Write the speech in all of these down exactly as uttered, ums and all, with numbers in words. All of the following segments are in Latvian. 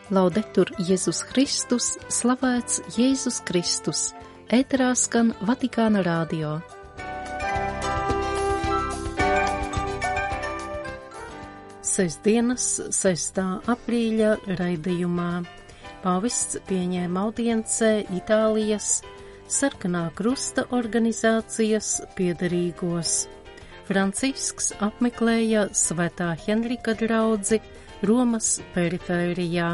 Laudetur Jēzus Kristus, slavēts Jēzus Kristus, ēterā skan Vatikāna radio. Sestdienas, sestā aprīļa raidījumā pāvests pieņēma audiencē Itālijas Sarkanā krusta organizācijas piederīgos. Francisks apmeklēja Svētā Henrika draudzi Romas perifērijā.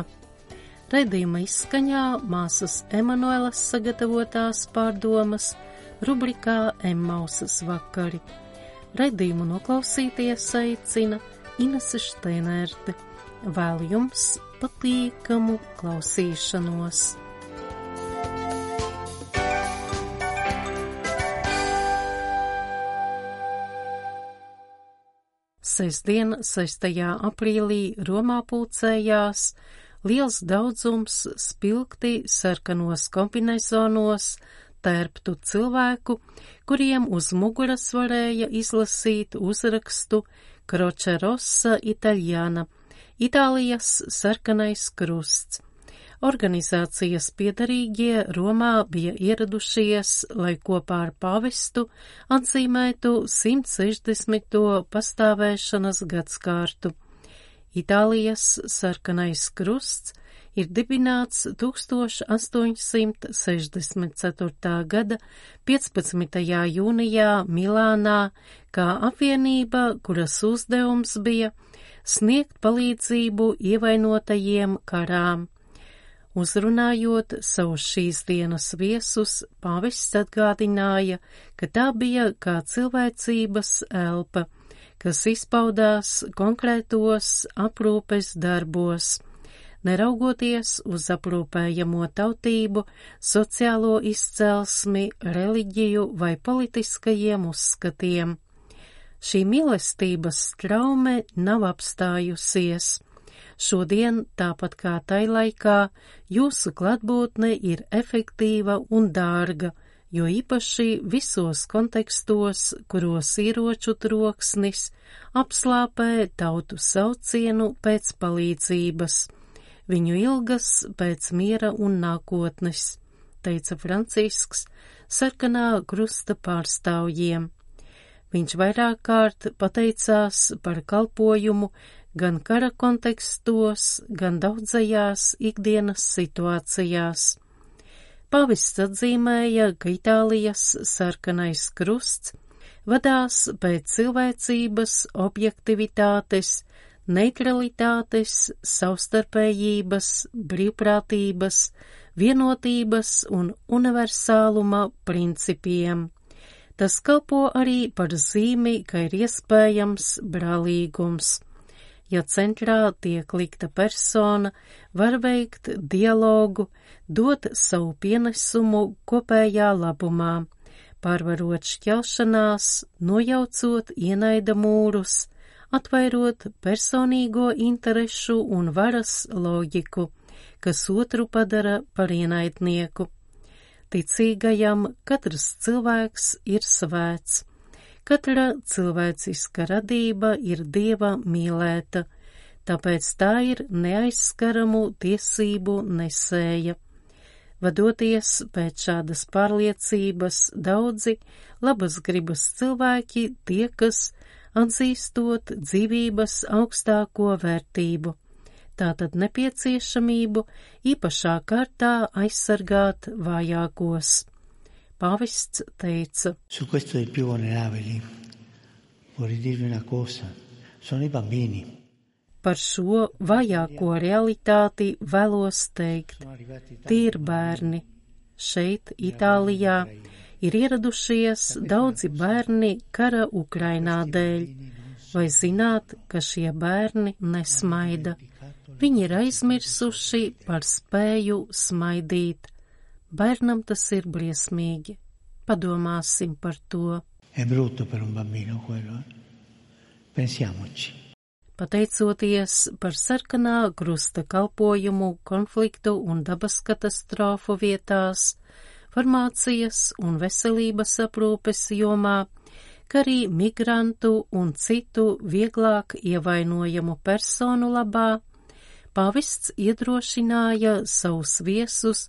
Raidījuma izskaņā māsas Emanuelas sagatavotās pārdomas rubrikā Emmausas vakari. Raidījumu noklausīties aicina Inese Šteinerte. Vēlu jums patīkamu klausīšanos. Sestdien, sestajā aprīlī Romā pulcējās liels daudzums spilgti sarkanos kombinezonos tērptu cilvēku, kuriem uz muguras varēja izlasīt uzrakstu Croce Rossa Italiana, Itālijas sarkanais krusts. Organizācijas piederīgie Romā bija ieradušies, lai kopā ar pāvestu atzīmētu simt sešdesmito pastāvēšanas gadskārtu. Itālijas sarkanais krusts ir dibināts tūkstoš astoņsimt sešdesmit ceturtā gada piecpadsmitajā jūnijā Milānā kā apvienība, kuras uzdevums bija sniegt palīdzību ievainotajiem karām. Uzrunājot savus šīs dienas viesus, pāvests atgādināja, ka tā bija kā cilvēcības elpa, kas izpaudās konkrētos aprūpes darbos, neraugoties uz aprūpējamo tautību, sociālo izcelsmi, reliģiju vai politiskajiem uzskatiem. Šī mīlestības traume nav apstājusies. Šodien, tāpat kā tai laikā, jūsu klātbūtne ir efektīva un dārga, jo īpaši visos kontekstos, kuros ieroču troksnis apslāpē tautu saucienu pēc palīdzības, viņu ilgas pēc miera un nākotnes, teica Francisks sarkanā krusta pārstāvjiem. Viņš vairāk kārt pateicās par kalpojumu gan kara kontekstos, gan daudzajās ikdienas situācijās. Pāvests atzīmēja, ka Itālijas sarkanais krusts vadās pēc cilvēcības, objektivitātes, neutralitātes, savstarpējības, brīvprātības, vienotības un universāluma principiem. Tas kalpo arī par zīmi, ka ir iespējams brālīgums. Ja centrā tiek likta persona, var veikt dialogu, dot savu pienesumu kopējā labumā, pārvarot šķelšanās, nojaucot ienaida mūrus, atvairot personīgo interešu un varas loģiku, kas otru padara par ienaidnieku. Ticīgajam katrs cilvēks ir svēts. Katra cilvēciska radība ir Dieva mīlēta, tāpēc tā ir neaizskaramu tiesību nesēja. Vadoties pēc šādas pārliecības, daudzi labas gribas cilvēki tiekas atzīstot dzīvības augstāko vērtību, tātad nepieciešamību īpašā kārtā aizsargāt vājākos. Pāvests teica: Su questo dei più vulnerabili vorrei dirvi una cosa, sono i bambini. Par šo vājāko realitāti vēlos teikt, tie ir bērni. Šeit, Itālijā, ir ieradušies daudzi bērni kara Ukrainā dēļ. Vai zināt, ka šie bērni nesmaida? Viņi ir aizmirsuši par spēju smaidīt. Bērnam tas ir briesmīgi. Padomāsim par to. È brutto per un bambino quello, eh? Pensiamoci. Pateicoties par sarkanā krusta kalpojumu konfliktu un dabas katastrofu vietās, farmācijas un veselības aprūpes jomā, kā arī migrantu un citu vieglāk ievainojamu personu labā, Pāvests iedrošināja savus viesus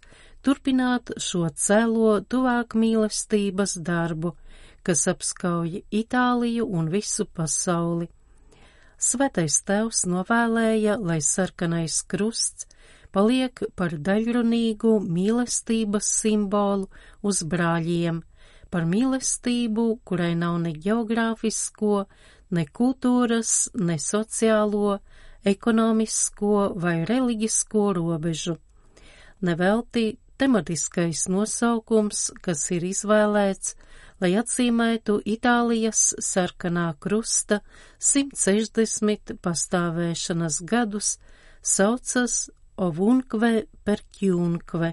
turpināt šo cēlo tuvāk mīlestības darbu, kas apskauj Itāliju un visu pasauli. Svētais Tēvs novēlēja, lai sarkanais krusts paliek par daļrunīgu mīlestības simbolu uz brāļiem, par mīlestību, kurai nav ne geogrāfisko, ne kultūras, ne sociālo, ekonomisko vai reliģisko robežu. Nevelti tematiskais nosaukums, kas ir izvēlēts, lai atzīmētu Itālijas sarkanā krusta simt sešdesmit pastāvēšanas gadus, saucas Ovunque perchiunque,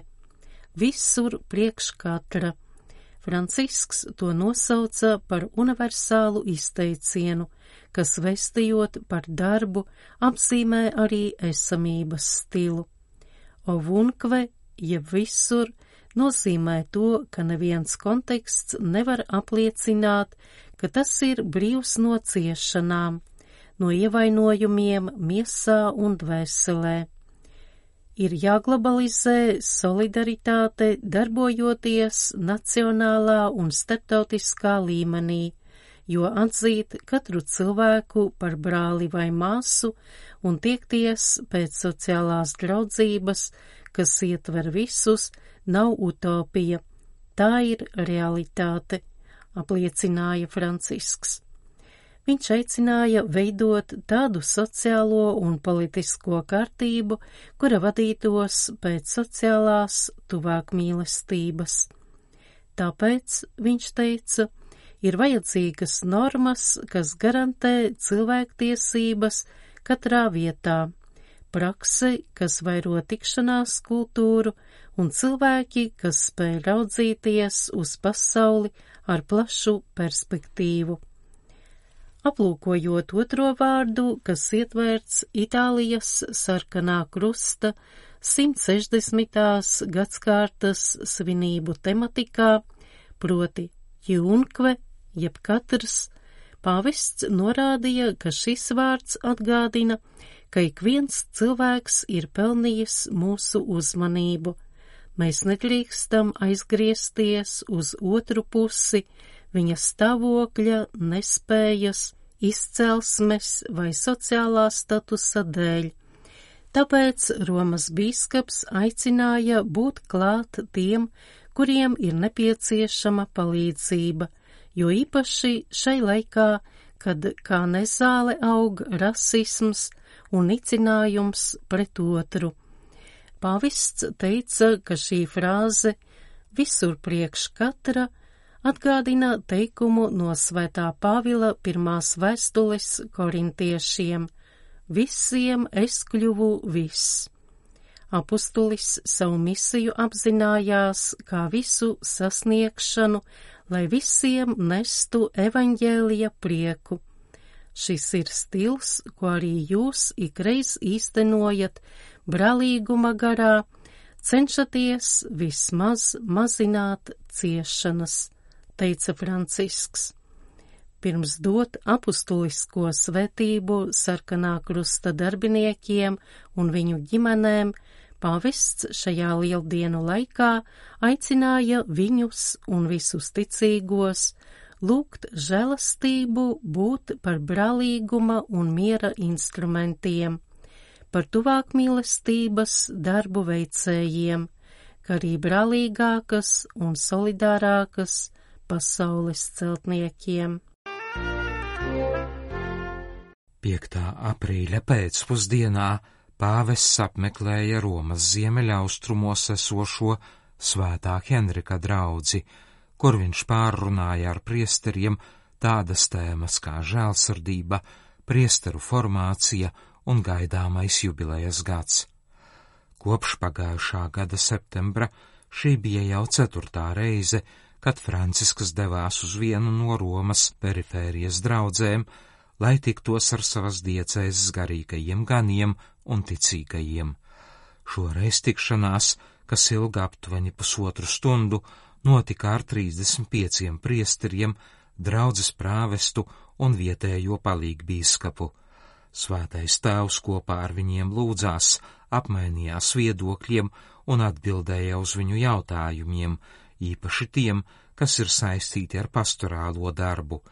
visur priekš katra. Francisks to nosauca par universālu izteicienu, kas vestījot par darbu apzīmē arī esamības stilu. Ovunque, jeb visur, nozīmē to, ka neviens konteksts nevar apliecināt, ka tas ir brīvs no ciešanām, no ievainojumiem miesā un dvēselē. Ir jāglobalizē solidaritāte, darbojoties nacionālā un starptautiskā līmenī, jo atzīt katru cilvēku par brāli vai māsu un tiekties pēc sociālās draudzības, kas ietver visus, nav utopija. Tā ir realitāte, apliecināja Francisks. Viņš aicināja veidot tādu sociālo un politisko kārtību, kura vadītos pēc sociālās tuvāk mīlestības. Tāpēc, viņš teica, ir vajadzīgas normas, kas garantē cilvēktiesības katrā vietā, prakse, kas vairo tikšanās kultūru, un cilvēki, kas spēj raudzīties uz pasauli ar plašu perspektīvu. Aplūkojot otro vārdu, kas ietverts Itālijas sarkanā krusta simt sešdesmitās gadskārtas svinību tematikā, proti Chiunque, jeb katrs, pāvests norādīja, ka šis vārds atgādina, ka ik viens cilvēks ir pelnījis mūsu uzmanību. Mēs nedrīkstam aizgriezties uz otru pusi viņa stāvokļa, nespējas, izcelsmes vai sociālā statusa dēļ. Tāpēc Romas bīskaps aicināja būt klāt tiem, kuriem ir nepieciešama palīdzība, jo īpaši šai laikā, kad kā nezāle aug rasisms un nicinājums pret otru. Pāvests teica, ka šī frāze visur priekš katra atgādina teikumu no Svētā Pāvila pirmās vēstules korintiešiem: visiem es kļuvu viss. Apustulis savu misiju apzinājās kā visu sasniegšanu, lai visiem nestu evaņģēlija prieku. Šis ir stils, ko arī jūs ikreiz īstenojat brālīguma garā, cenšaties vismaz mazināt ciešanas, teica Francisks. Pirms dot apustulisko svētību sarkanā krusta darbiniekiem un viņu ģimenēm, pāvests šajā lieldienu laikā aicināja viņus un visus ticīgos lūgt žēlastību, būt par brālīguma un miera instrumentiem, par tuvāk mīlestības darbu veicējiem, kā arī brālīgākas un solidārākas pasaules celtniekiem. piektā aprīļa pēcpusdienā pāvests apmeklēja Romas ziemeļaustrumos esošo Svētā Henrika draudzi, kur viņš pārrunāja ar priesteriem tādas tēmas kā žēlsirdība, priesteru formācija un gaidāmais jubilejas gads. Kopš pagājušā gada septembra šī bija jau ceturtā reize, kad Francisks devās uz vienu no Romas perifērijas draudzēm, lai tiktos ar savas diecēzes garīgajiem ganiem un ticīgajiem. Šoreiz tikšanās, kas ilga aptuveni pusotru stundu, notika ar trīsdesmit pieciem priesteriem, draudzes prāvestu un vietējo palīgbīskapu. Svētais Tēvs kopā ar viņiem lūdzās, apmainījās viedokļiem un atbildēja uz viņu jautājumiem, īpaši tiem, kas ir saistīti ar pastorālo darbu.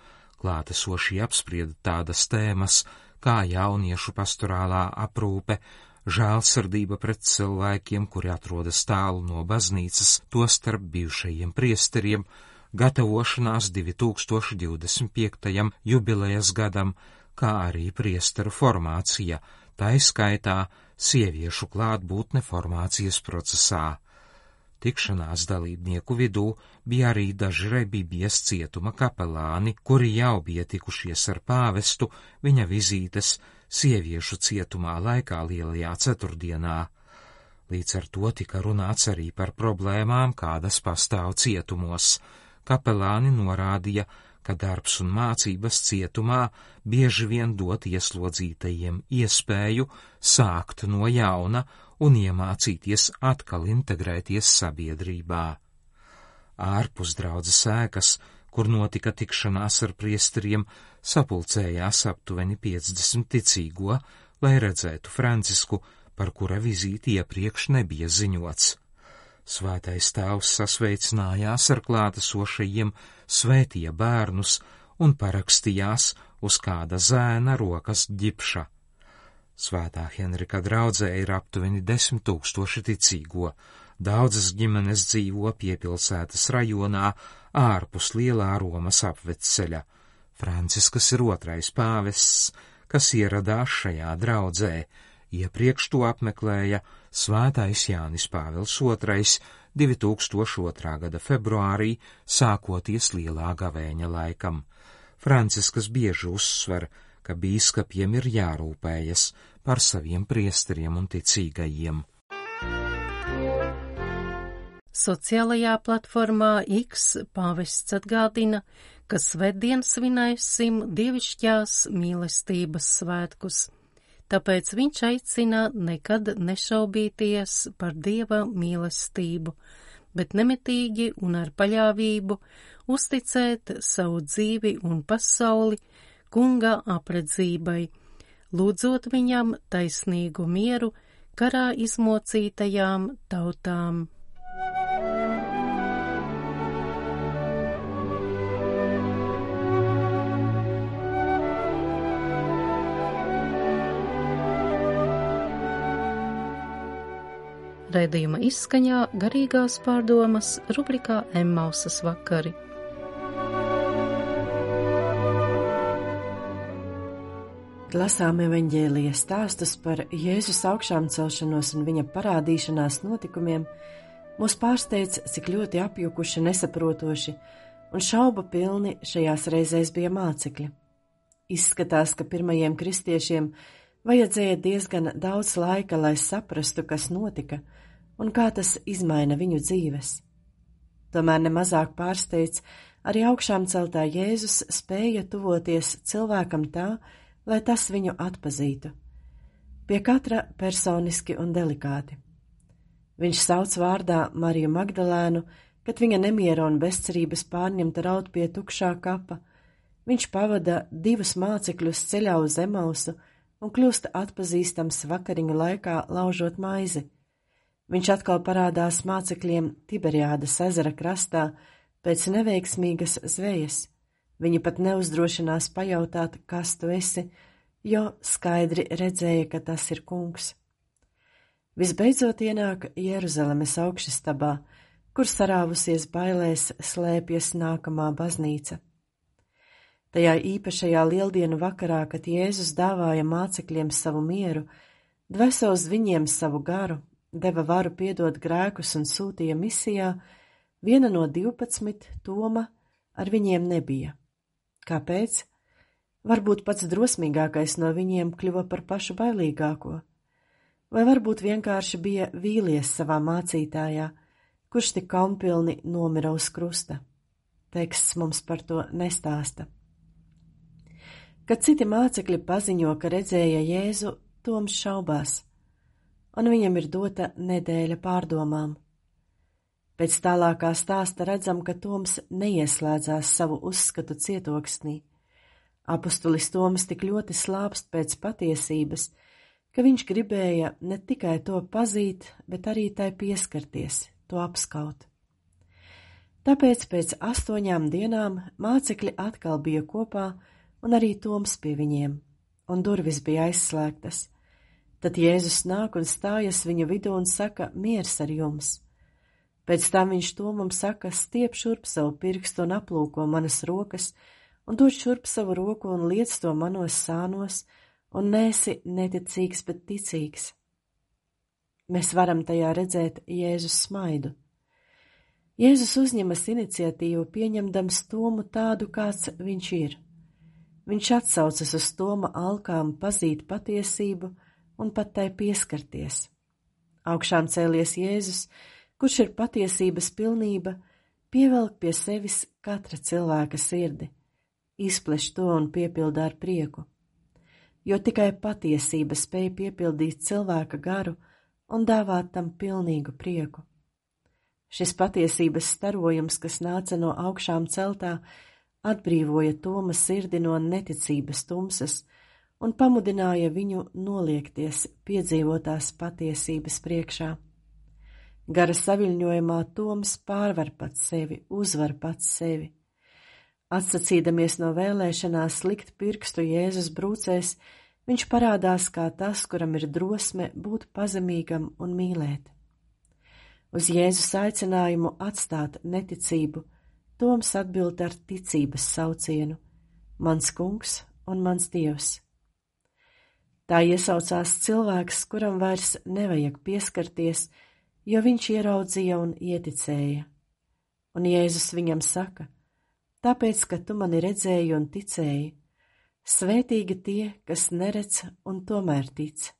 Klātesošie apsprieda tādas tēmas kā jauniešu pastorālā aprūpe, žēlsirdība pret cilvēkiem, kuri atrodas tālu no baznīcas, tostarp bijušajiem priesteriem, gatavošanās divi tūkstoši divdesmit piektajam jubilejas gadam, kā arī priesteru formācija, tā izskaitā sieviešu klātbūtne formācijas procesā. Tikšanās dalībnieku vidū bija arī daži Rebībijas cietuma kapelāni, kuri jau bija tikušies ar pāvestu viņa vizītes sieviešu cietumā laikā Lielajā ceturtdienā. Līdz ar to tika runāts arī par problēmām, kādas pastāv cietumos. Kapelāni norādīja, ka darbs un mācības cietumā bieži vien dot ieslodzītajiem iespēju sākt no jauna un iemācīties atkal integrēties sabiedrībā. Ārpus draudzes ēkas, kur notika tikšanās ar priesteriem, sapulcējās aptuveni piecdesmit ticīgo, lai redzētu Francisku, par kura vizīti iepriekš nebija ziņots. Svētais Tēvs sasveicinājās ar klātesošajiem, svētīja bērnus un parakstījās uz kāda zēna rokas ģipša. Svētā Henrika draudzē ir aptuveni desmit tūkstoši ticīgo. Daudzas ģimenes dzīvo piepilsētas rajonā ārpus Lielā Romas apvedceļa. Franciskas ir otrais pāvests, kas ieradās šajā draudzē. Iepriekš to apmeklēja Svētais Jānis Pāvils otrais divi tūkstoši otrā gada februārī, sākoties Lielā gavēņa laikam. Franciskas bieži uzsver, ka bīskapiem ir jārūpējas par saviem priesteriem un ticīgajiem. Sociālajā platformā X pāvests atgādina, ka svētdien svinēsim dievišķās mīlestības svētkus. Tāpēc viņš aicina nekad nešaubīties par Dieva mīlestību, bet nemitīgi un ar paļāvību uzticēt savu dzīvi un pasauli Kunga apredzībai, lūdzot viņam taisnīgu mieru karā izmocītajām tautām. Raidījuma izskaņā garīgās pārdomas rubrikā Emmausas vakari. Lasām evaņģēlija stāstus par Jēzus augšām celšanos un viņa parādīšanās notikumiem, mūs pārsteidz, cik ļoti apjukuši, nesaprotoši un šaubu pilni šajās reizēs bija mācekļi. Izskatās, ka pirmajiem kristiešiem vajadzēja diezgan daudz laika, lai saprastu, kas notika un kā tas izmaina viņu dzīves. Tomēr nemazāk pārsteidz, arī augšām celtā Jēzus spēja tuvoties cilvēkam tā, lai tas viņu atpazītu, pie katra personiski un delikāti. Viņš sauc vārdā Mariju Magdalēnu, kad viņa nemiera un bezcerības pārņemta raud pie tukšā kapa. Viņš pavada divus mācekļus ceļā uz Emausu un kļūst atpazīstams vakariņu laikā laužot maizi. Viņš atkal parādās mācekļiem Tiberiādas ezera krastā pēc neveiksmīgas zvejas. Viņi pat neuzdrošinās pajautāt, kas tu esi, jo skaidri redzēja, ka tas ir kungs. Visbeidzot ienāk Jeruzalemes augšastabā, kur sarāvusies bailēs slēpjas nākamā baznīca. Tajā īpašajā lieldienu vakarā, kad Jēzus dāvāja mācekļiem savu mieru, dvēsa uz viņiem savu garu, deva varu piedot grēkus un sūtīja misijā, viena no divpadsmit, Toma, ar viņiem nebija. Kāpēc? Varbūt pats drosmīgākais no viņiem kļuva par pašu bailīgāko. Vai varbūt vienkārši bija vīlies savā mācītājā, kurš tik kaunpilni nomira uz krusta. Teksts mums par to nestāsta. Kad citi mācekļi paziņo, ka redzēja Jēzu, Toms šaubās, un viņam ir dota nedēļa pārdomām. Pēc tālākā stāsta redzam, ka Toms neieslēdzās savu uzskatu cietoksnī. Apustulis Toms tik ļoti slāpst pēc patiesības, ka viņš gribēja ne tikai to pazīt, bet arī tai pieskarties, to apskaut. Tāpēc pēc astoņām dienām mācekļi atkal bija kopā un arī Toms pie viņiem, un durvis bija aizslēgtas. Tad Jēzus nāk un stājas viņu vidū un saka, miers ar jums. Pēc tam viņš Tomam saka, stiep šurp savu pirkstu un aplūko manas rokas, un dod šurp savu roku un liec to manos sānos, un nesi neticīgs, bet ticīgs. Mēs varam tajā redzēt Jēzus smaidu. Jēzus uzņemas iniciatīvu, pieņemdams Tomu tādu, kāds viņš ir. Viņš atsaucas uz Toma alkām pazīt patiesību un pat tai pieskarties. Augšām cēlies Jēzus, kurš ir patiesības pilnība, pievelk pie sevis katra cilvēka sirdi, izpleš to un piepilda ar prieku, jo tikai patiesība spēj piepildīt cilvēka garu un dāvāt tam pilnīgu prieku. Šis patiesības starojums, kas nāca no augšām celtā, atbrīvoja Toma sirdi no neticības tumsas un pamudināja viņu noliekties piedzīvotās patiesības priekšā. Gara saviļņojumā Toms pārvar pats sevi, uzvar pats sevi. Atsacīdamies no vēlēšanās likt pirkstu Jēzus brūcēs, viņš parādās kā tas, kuram ir drosme būt pazemīgam un mīlēt. Uz Jēzus aicinājumu atstāt neticību, Toms atbild ar ticības saucienu: mans kungs un mans dievs. Tā iesaucās cilvēks, kuram vairs nevajag pieskarties, jo viņš ieraudzīja un ieticēja. Un Jēzus viņam saka: tāpēc, ka tu mani redzēji un ticēji, svētīgi tie, kas neredz un tomēr tic.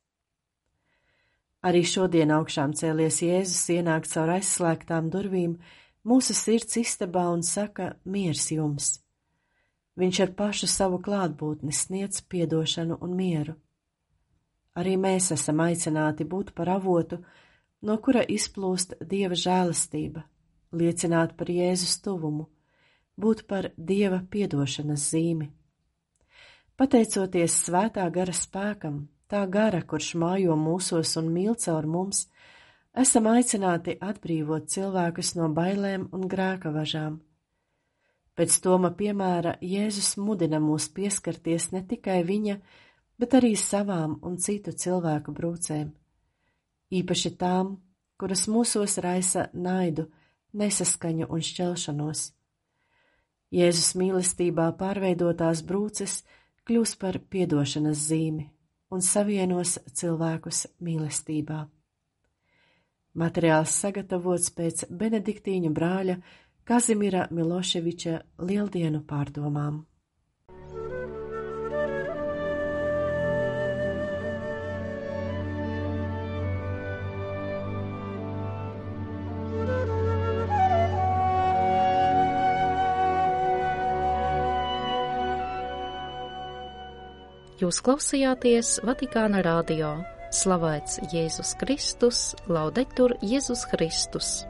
Arī šodien augšām cēlies Jēzus ienāk caur aizslēgtām durvīm mūsu sirds istabā un saka: miers jums. Viņš ar pašu savu klātbūtni sniedz piedošanu un mieru. Arī mēs esam aicināti būt par avotu, no kura izplūst Dieva žēlastība, liecināt par Jēzus tuvumu, būt par Dieva piedošanas zīmi. Pateicoties svētā gara spēkam, tā gara, kurš mājo mūsos un mīl caur mums, esam aicināti atbrīvot cilvēkus no bailēm un grēka važām. Pēc Toma piemēra Jēzus mudina mūs pieskarties ne tikai viņa, bet arī savām un citu cilvēku brūcēm, īpaši tām, kuras mūsos raisa naidu, nesaskaņu un šķelšanos. Jēzus mīlestībā pārveidotās brūces kļūs par piedošanas zīmi un savienos cilvēkus mīlestībā. Materiāls sagatavots pēc benediktīņu brāļa Kazimira Miloševiča lieldienu pārdomām. Jūs klausījāties Vatikāna radio. Slavēts Jēzus Kristus, laudetur Jēzus Kristus.